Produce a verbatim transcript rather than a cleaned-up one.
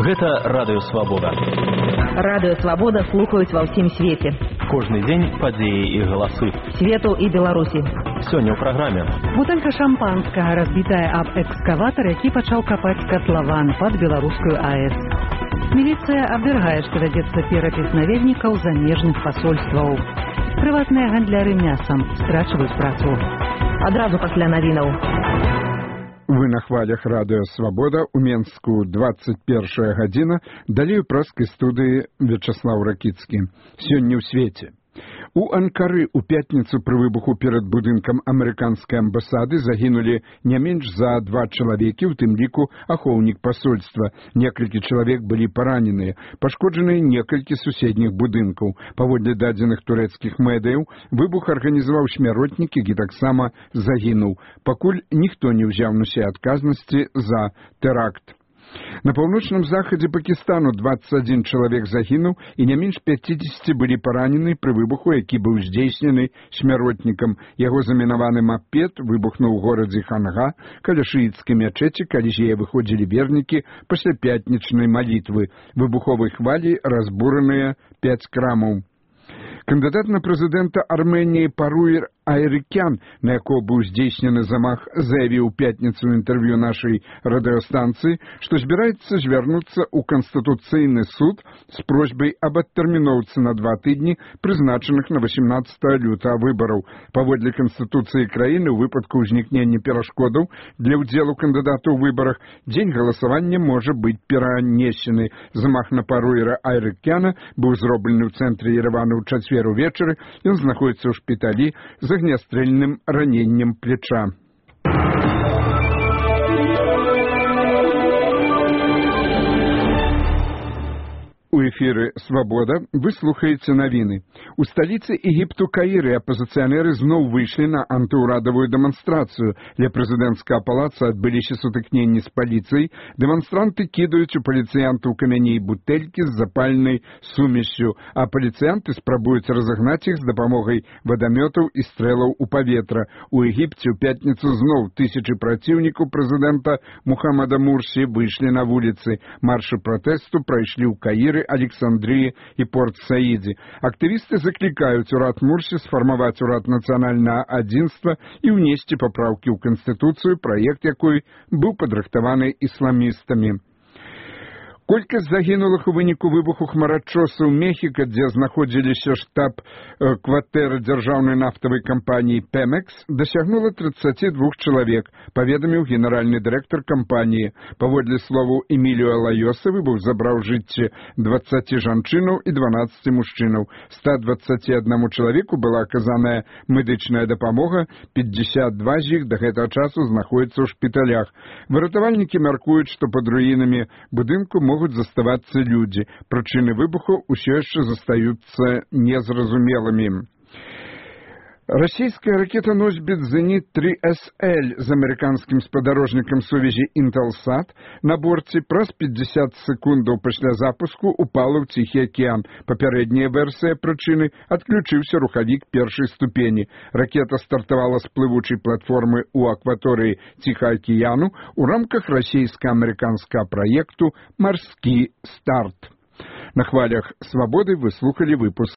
Гэта Радыё Свабода. Радыё Свабода слухаюць ва ўсім свеце. Кожны дзень падзеі і галасы. Свету і Беларусі. Сёння ў праграме. Бутэлька шампанскага разбітая аб экскаватар, які пачаў капаць катлаван пад беларускую АЭС. Міліцыя абвяргае, што вядзецца перапіс наведнікаў замежных пасольстваў. Прыватныя гандляры мясам страчваюць працу. Адразу пасля навінаў. Вы на хвалях Радыё Свабода, у Менску двадцать первая гадзіна, далей у праскай студыі Вячаслаў Ракіцкі. Сёння ў свеце. У Анкары ў пятніцу пры выбуху перад будынкам амерыканскай амбасады загінулі не менш за два чалавекі, у тым ліку ахоўнік пасольства. Некалькі чалавек былі параненыя, пашкоджаныя некалькі суседніх будынкаў. Паводле дадзеных турэцкіх медыяў, выбух арганізаваў смяротнік, які таксама загінуў. Пакуль ніхто не ўзяў на сябе адказнасці за тэракт. На паўночным захадзе Пакістану двадцать один чалавек загінуў і не менш пятьдесят былі паранены пры выбуху, які быў здзейснены смяротнікам. Яго замінаваны мапед выбухнуў у горадзе Ханга каля шыіцкай мячэці, калі з яе выходзілі вернікі пасля пятнічнай малітвы. Выбуховай хваляй разбураныя пяць крамаў. Кандыдат на прэзідэнта Арменіі Паруер Айрыкян, на якого быў здзейснены замах, заявіў у пятніцу ў інтэрв'ю нашай радыёстанцыі, што збіраецца звярнуцца ў Канстытуцыйны суд з просьбай аб адтэрміноўцы на два тыдні, прызначаных на восемнадцатого лютага выбараў. Паводле Канстытуцыі краіны, у выпадку ўзнікнення перашкодаў для ўдзелу кандыдата ў выбарах, дзень галасавання можа быць перанесены. Замах на Паруера Айрыкяна быў зроблены ў цэнтры Еревана ў чацвер увечары. Ён знаходіцца ў шпіталі з агнястрэльным раненнем плеча. У эфіры «Свабода» вы слухаеце навіны. У сталіцы Егіпту Каіры апазіцыянеры зноў выйшлі на антыўрадавую дэманстрацыю. Ля прэзідэнцкага палаца адбыліся сутыкненні з паліцыяй. Дэманстранты кідаюць у паліцыянтаў камяні і бутэлькі з запальнай сумессю, а паліцыянты спрабуюць разагнаць іх з дапамогай вадамётаў і стрэлаў у паветра. У Егіпце ў пятніцу зноў тысячы праціўнікаў прэзідэнта Мухаммада Мурсі выйшлі на вуліцы. Маршы пратэсту прайшлі ў Каіры, Александрии и Порт-Саиде. Активисты закликают урад Мурси сформовать урад национального адзінства и внести поправки в Конституцию, проект якой был падрыхтаваны исламистами. Колькасць загінулых у выніку выбуху хмарачоса ў Мехіка, дзе знаходзіліся штаб-кватэры дзяржаўнай нафтавай кампаніі Пемекс, дасягнула тридцать два чалавек, паведаміў генеральны дырэктар кампаніі. Паводле словаў Эміліо Лайоса, выбух забраў жыцці дваццаці жанчынаў і дванаццаці мужчынаў. ста дваццаці аднаму чалавеку была аказаная медычная дапамога, пятьдесят два з іх да гэтага часу знаходзяцца ў шпіталях. Выратавальнікі мяркуюць, што пад руінамі будынку могуць заставацца людзі. Прычыны выбуху ўсё яшчэ застаюцца незразумелымі. Расійская ракета-носьбіт «Зенит три эс эль» з амерыканскім спадарожнікам сувязі «Інтэлсат» на борце праз пятьдесят секундаў пасля запуску упала ў Ціхі акіян. Папярэдняя версія прычыны – адключыўся рухавік першай ступені. Ракета стартавала з плывучай платформы ў акваторыі Ціхага акіяну у рамках расійска-амерыканскага праекту «Марскі старт». На хвалях «Свабоды» вы слухали выпуск